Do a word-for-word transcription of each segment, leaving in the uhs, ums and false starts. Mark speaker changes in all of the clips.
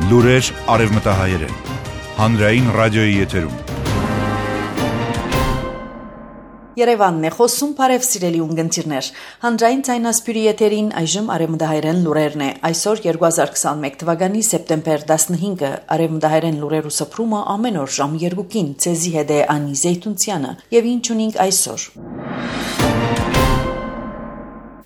Speaker 1: Լուրեր արևմտահայերեն, հանրային ռադիոյի եթերում։
Speaker 2: Երևանն է խոսում, բարև սիրելի ունգընտիրներ։ Հանրային ցայնասպյուրի եթերին այժմ արևմտահայերեն լուրերն է։ Այսօր երկու հազար քսանմեկ թվականի սեպտեմբեր տասնհինգը արևմտահայերեն լուրերու սփռումը ամեն օր ժամ երկուին ցեզի հետ է Անի Զեյթունցյանը եւ ինչ ունենք այսօր։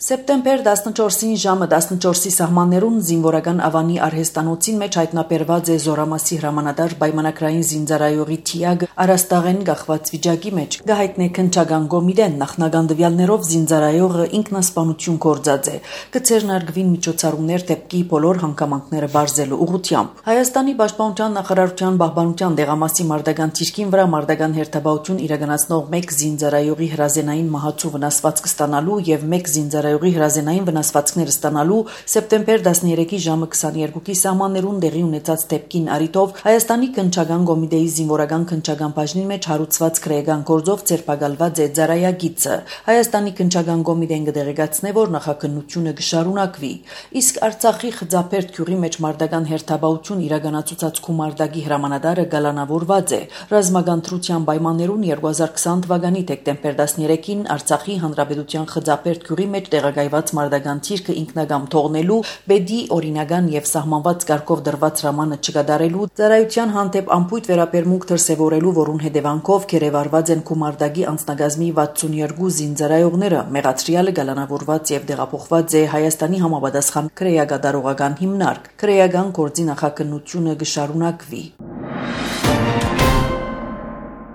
Speaker 2: Սեպտեմբեր տասնչորսին ժամը տասնչորսի սահմաններուն զինվորական ավանի արհեստանոցին մեջ հայտնաբերված է Զորամասի հրամանատար պայմանագրային զինծառայողի թիագ Արաստաղեն գախված վիճակի մեջ գահիտնե քնչական գոմիդեն նախնական դվյալներով զինծառայողը ինքնասպանություն կործած է կցերնարգվին միջոցառումներ դեպքի բոլոր հանգամանքները բարձելու ուղղությամբ Հայաստանի պաշտպանության նախարարության պահպանության դեղամասի մարտական թիրքին վրա մարտական հերթապահություն իրականացնող մեկ զինծառայողի հրազենային մահացու վնասվածք ստանալու եւ մեկ զինծառայողի հրազենային վնասվածքներ ստանալու սեպտեմբեր տասներեքի ժամը քսաներկուի սահմաններուն դեղի ունեցած դեպքին առիթով Հայաստանի քնչական կոմիտեի զինվորական քնչական բաժնի մեջ հարուցված քրեական գործով ձերբակալված է ծառայագիծը Հայաստանի քնչական կոմիտեն կդեղեկացնե որ նախաքննությունը կշարունակվի իսկ Արցախի խծապերտ գյուղի մեջ մարտական հերթապահություն իրականացուցած Քումարտակի հրամանատարը գալանավորված է ռազմական թրության պայմաններուն երկու հազար քսան թվականի դեկտեմբեր տասներեքին Արցախի հանրապետության խծապերտ գյուղի մեջ տեղակայված մարտական թիրքը ինքնագամ թողնելու բեդի օրինական եւ սահմանված կարգով դրված հրամանը չկատարելու ծառայության հանդեպ ամփոյթ վերաբերմունք դրսևորելու որուն հետևանքով գերեվարված են Քումարտակի անձնագազմի վաթսունյոթ զինծառայողները մեղադրյալը գալանավորված եւ դեղափոխված է Հայաստանի համապատասխան քրեագադարողական հիմնարկ քրեական գործի նախաքննությունը կշարունակվի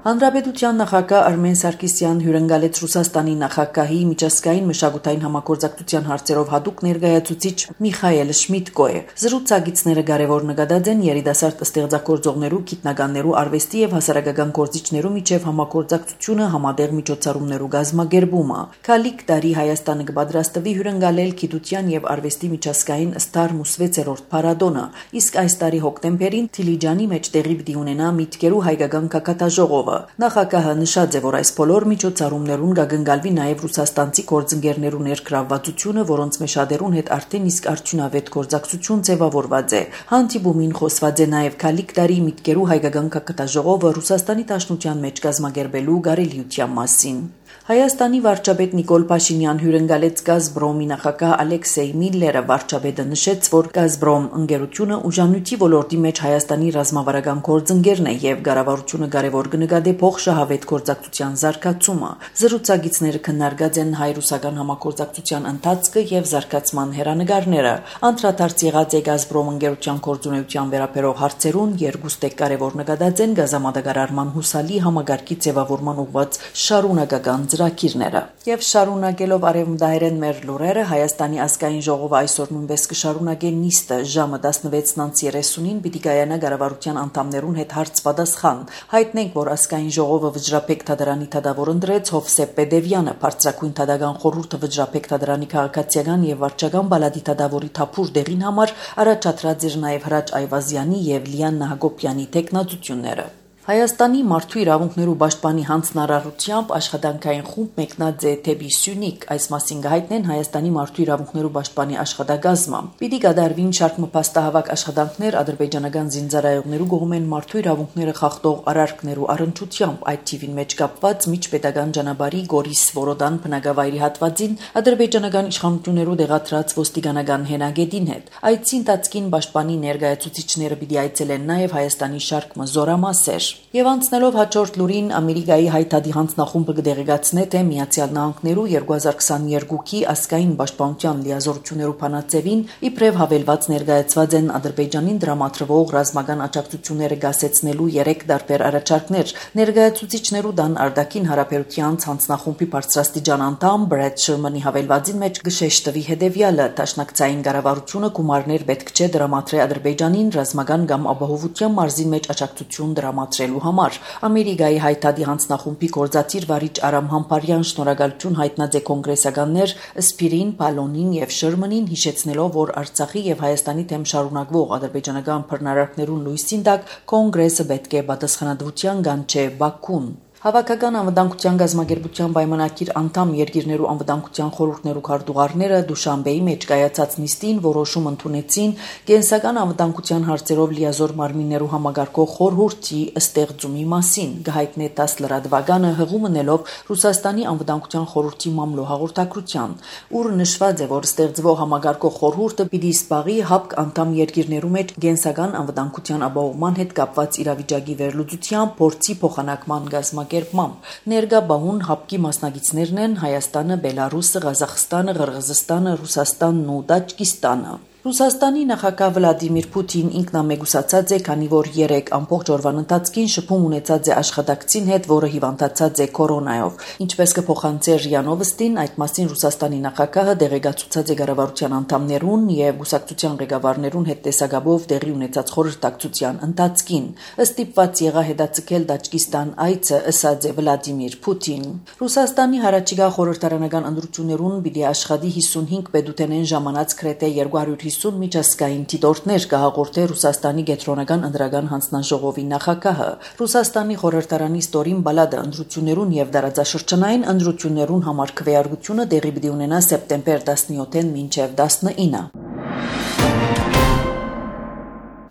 Speaker 2: Հանրապետության նախագահ Արմեն Սարգսյան հյուրընկալեց Ռուսաստանի նախագահի միջազգային մշակութային համագործակցության հարցերով հատուկ ներկայացուցիչ Միխայել Շմիդկոյը։ Զրուցակիցները կարևոր նկատած են երիտասարդ ստեղծագործողներու, գիտնականներու, արվեստի եւ հասարակական գործիչներու միջև համագործակցությունը համատեղ միջոցառումներու գազմագերբումը։ Քալիք տարի Հայաստանը կպատրաստվի հյուրընկալել գիտության եւ արվեստի միջազգային Ստարմուս վեցերորդ փառատոնը, իսկ այս տարի հոկտեմբերին Թիլիջանի մեջ տեղի պիտի ունենա Միտքերու հայկական կակատաժողովը։ Նախագահը նշած է, որ այս բոլոր միջոցառումներուն կգնկալվի նաև ռուսաստանցի գործընկերներու ներգրավվածությունը, որոնց մեջ շատերուն հետ արդեն իսկ արդյունավետ գործակցություն ձևավորված է։ Հանդիպումին խոսված է նաև Քալիք տարի Միտքերու հայկական կակատաժողովը Ռուսաստանի Դաշնության մեջ կազմակերպելու կարելիության մասին։ Հայաստանի վարչապետ Նիկոլ Փաշինյան հյուրընկալեց Գազպրոմի նախագահ Ալեքսեյ Միլլերը վարչապետը նշեց, որ Գազպրոմ ընկերությունը ուժանույթի ոլորտի մեջ Հայաստանի ռազմավարական գործընկերն է եւ կառավարությունը կարևոր կնկատի փոխշահավետ գործակցության զարգացումը։ Զրուցակիցները քննարկած են հայ-ռուսական համագործակցության ընթացքը եւ զարգացման հերանեկարները։ Անդրադարձ եղած է Գազպրոմ ընկերության գործունեության վերաբերող հարցերուն, երկուստե կարևոր նկատած են գազամատակարարման հուսալի համագարկի ձևավորման ուղղված շարունակական ծրագիրները։ Եվ շարունակելով արևմտահայերեն մեր լուրերը, Հայաստանի ազգային ժողովը այսօր նույնպես կշարունակի նիստը ժամը տասնվեց երեսունին պիտի կայանա կառավարության անդամներուն հետ հարց պատասխան։ Հայտնենք, որ ազգային ժողովը վճռապետ թադարանի թադավոր ընտրեց Հովսեփ Պեդևյանը, բարձրագույն թադական խորհուրդը վճռապետ թադարանի քաղաքացիական եւ վարչական բալադի թադավորի թափուր դեղին համար առաջադրած էր նաեւ Հրաչ Այվազյանի եւ Լիաննա Հակոբյանի տեխնացությունները։ Հայաստանի մարդու իրավունքներու պաշտպանի հանձնարարությամբ աշխատանքային խումբ մեկնած է դեպի Սյունիք, այս մասին կհայտնեն Հայաստանի մարդու իրավունքներու պաշտպանի աշխատակազմը։ Պիտի կատարվին շարք մփաստահավաք աշխատանքներ ադրբեջանական զինծառայողներու կողմեն մարդու իրավունքները խախտող արարքներու առընչությամբ, այդ թիվին մեջ կապված միջպետական ճանապարհի Գորիս Վորոդան բնակավայրի հատվածին ադրբեջանական իշխանություններու դեղատրած ոստիկանական հենագետին հետ։ Այդ ընթացքին պաշտպանի ներկայացուցիչները պիտի այցելեն նաև Հայաստանի շարք զորամասեր։ Եվ անցնելով հաջորդ լուրին Ամերիկայի հայտարարի հանձնախումբը կդեղեկացնե, թե Միացյալ Նահանգներու երկու հազար քսաներկուի ազգային պաշտպանության լիազորություններու փանացեվին իբրև հավելված ներկայացված են Ադրբեջանին դրամատրվող ռազմական աջակցությունները գասեցնելու երեք տարբեր առաջարկներ։ Ներկայացուցիչներու դան արտաքին հարաբերության հանձնախումբի բարձրաստիճան անդամ Բրեդ Շերմանի հավելվածին մեջ կշեշտվի հետևյալը. Դաշնակցային կառավարությունը գումարներ պետք չէ դրամատրի Ադրբեջանին ռազմական կամ ապահովության մարզի մեջ աջակցություն դրամատրելու համար։ Ամերիկայի հայտարարի հանձնախումբի գործադիր վարիչ Արամ Համբարյան շնորհակալություն հայտնած է կոնգրեսականներ Սպիրին, Պալոնին եւ Շերմանին, հիշեցնելով, որ Արցախի եւ Հայաստանի դեմ շարունակվող ադրբեջանական բռնարարքներուն լույսին տակ կոնգրեսը պետք է պատասխանատվության կանչե Բաքուն։ Հավաքական անվտանգության գազագերբության պայմանագիր անդամ երկիրներու անվտանգության խորհուրդներու քարտուղարները Դուշանբեի մեջ կայացած նիստին որոշում ընդունեցին կենսական անվտանգության հարցերով լիազոր մարմիններու համագարկող խորհուրդի ստեղծումի մասին, գահիտնե տասը լրատվականը հղում ընելով Ռուսաստանի անվտանգության խորհրդի մամլո հաղորդակցության, ուր նշված է, որ ստեղծվող համագարկող խորհուրդը պիտի սպաղի հապկ անդամ երկիրներու մեջ կենսական անվտանգության ապահովման հետ կապված իրավիճակի վերլուծությամբ փորձի փոխանակման գազագերբության Ներկա բահուն հապկի մասնակիցներն են Հայաստանը, Բելարուսը, Ղազախստանը, Ղրղզստանը, Ռուսաստանն ու Տաջիկստանը։ Ռուսաստանի նախագահ Վլադիմիր Պուտին ինքնամեկուսացած է, քանի որ երեք ամբողջ օրվան ընթացքին շփում ունեցած է աշխատակցին հետ, որը հիվանդացած է կորոնայով։ Ինչպես կփոխանցի ՌԻԱ Նովոստին, այդ մասին Ռուսաստանի նախագահը դեղեկացուցած է կառավարության անդամներուն եւ գուսակցության ղեկավարներուն հետ տեսակապով տեղի ունեցած խորհրդակցության ընթացքին։ Ստիպված եղա հետաձգել Տաջիկստան այցը, ըսած է Վլադիմիր Պուտին։ Ռուսաստանի հարաճիգա խորհրդարանական ընտրություններուն պիտի աշխատի հիսունհինգ պետութենեն ժամանած քրեթե երկու հարյուր հիսուն միջազգային դիտորդներ կհաղորդե Ռուսաստանի կենտրոնական ընտրական հանձնաժողովի նախագահը։ Ռուսաստանի խորհրդարանի ստորին բալադը ընտրություններուն եւ դարաձաշրջանային ընտրություններուն համար քվեարկությունը տեղի պիտի ունենա սեպտեմբեր տասնյոթին մինչեւ տասնինը։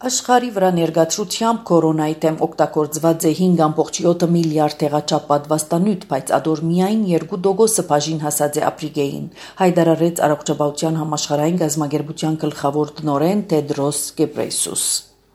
Speaker 2: Աշխարհի վրա ներկայացությամբ կորոնայի դեմ օգտագործված է հինգ ամբողջ յոթ միլիարդ տեղաչափ պատվաստանյութ, բայց ադոր միայն երկու տոկոսը բաժին հասած է Աֆրիկային, հայտարարեց Առողջապահության համաշխարհային գազագերբության գլխավոր տնօրեն Տեդրոս Գեբրեյսուս։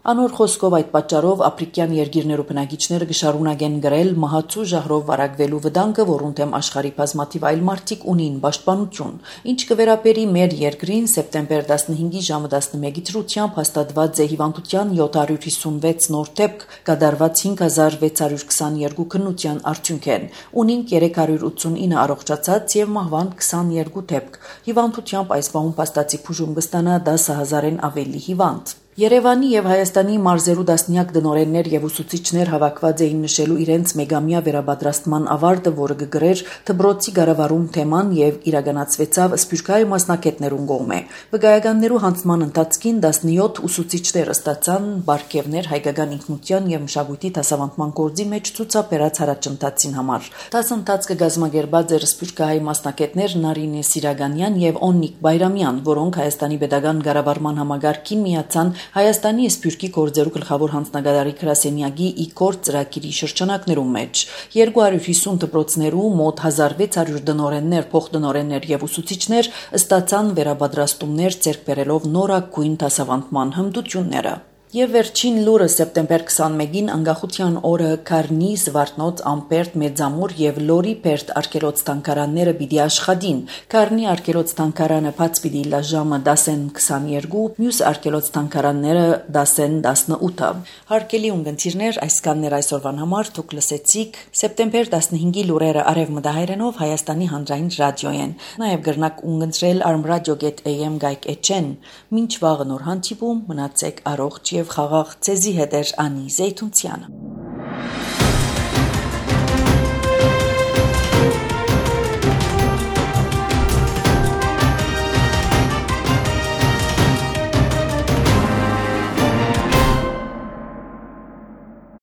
Speaker 2: Անոր խոսքով այդ պատճառով աֆրիկյան երկիրներու բնակիչները կշարունակեն գրել մահացու ժահրով վարակվելու վտանգը, որուն դեմ աշխարհի բազմաթիվ այլ մարդիկ ունին պաշտպանություն։ Ինչ կվերապերի մեր երկրին, սեպտեմբեր տասնհինգի ժամը տասնմեկի դրությամբ հաստատված է հիվանդության յոթ հարյուր հիսունվեց նոր դեպք, կատարված հինգ հազար վեց հարյուր քսաներկու քննության արդյունք են, ունինք երեք հարյուր ութսունինը առողջացած եւ մահվան քսաներկու դեպք։ Հիվանդությամբ այս բահուն փաստացի բուժում կստանա դասը հազարեն ավելի հիվանդ։ Երևանի եւ Հայաստանի մարզերու դասնյակ դնորեններ եւ ուսուցիչներ հավաքված էին նշելու իրենց մեգամյա վերապատրաստման ավարտը, որը կգրեր դբրոցի կառավարում թեման եւ իրականացվեցավ Սփյուռքահայ մասնակիցներուն կողմէ։ Վկայականներու հանձնման ընթացքին տասնյոթ ուսուցիչներ ստացան բարգեւներ հայկական ինքնության եւ մշակույթի դասավանդման գործի մեջ ցուցաբերած հարաճընթացին համար։ Դասընթացը գազմագերբած էր Սփյուռքահայ մասնակիցներ Նարինե Սիրագանյան եւ Օննիկ Բայրամյան, որոնք Հայաստանի pedagogan կառավարման համագարկին միացան Հայաստանի Սփյուռքի գործերու գլխավոր հանձնագետարի գրասենյակի իքոր ծրագիրի շրջանակներում մեջ երկու հարյուր հիսուն դպրոցներու մոտ հազար վեց հարյուր դնորեններ, փոխդնորեններ եւ ուսուցիչներ ստացան վերապատրաստումներ ձեռք բերելով նորագույն դասավանդման հմտությունները։ Եվ վերջին լուրը սեպտեմբեր քսանմեկին անկախության օրը Կարնի, Զվարթնոց, Ամպերտ, Մեծամուր եւ Լորի Պերտ արգելոց տանկարանները պիտի աշխատին։ Կարնի արգելոց տանկարանը բաց պիտի լա ժամը դասեն քսաներկու, մյուս արգելոց տանկարանները դասեն տասնութը։ Հարկելի ունգընտիրներ, այսքաններ այսօրվան համար դուք լսեցիք սեպտեմբեր տասնհինգի լուրերը արևմտահայերենով Հայաստանի հանրային ռադիոյեն։ Նաեւ գրնակ ունգընտրել armradio dot a m գայք էչեն։ Մինչ վաղը նոր հանդիպում, մնացեք առողջ եւ խաղաղ ցեզի հետ էր Անի Զեյթունցյանը։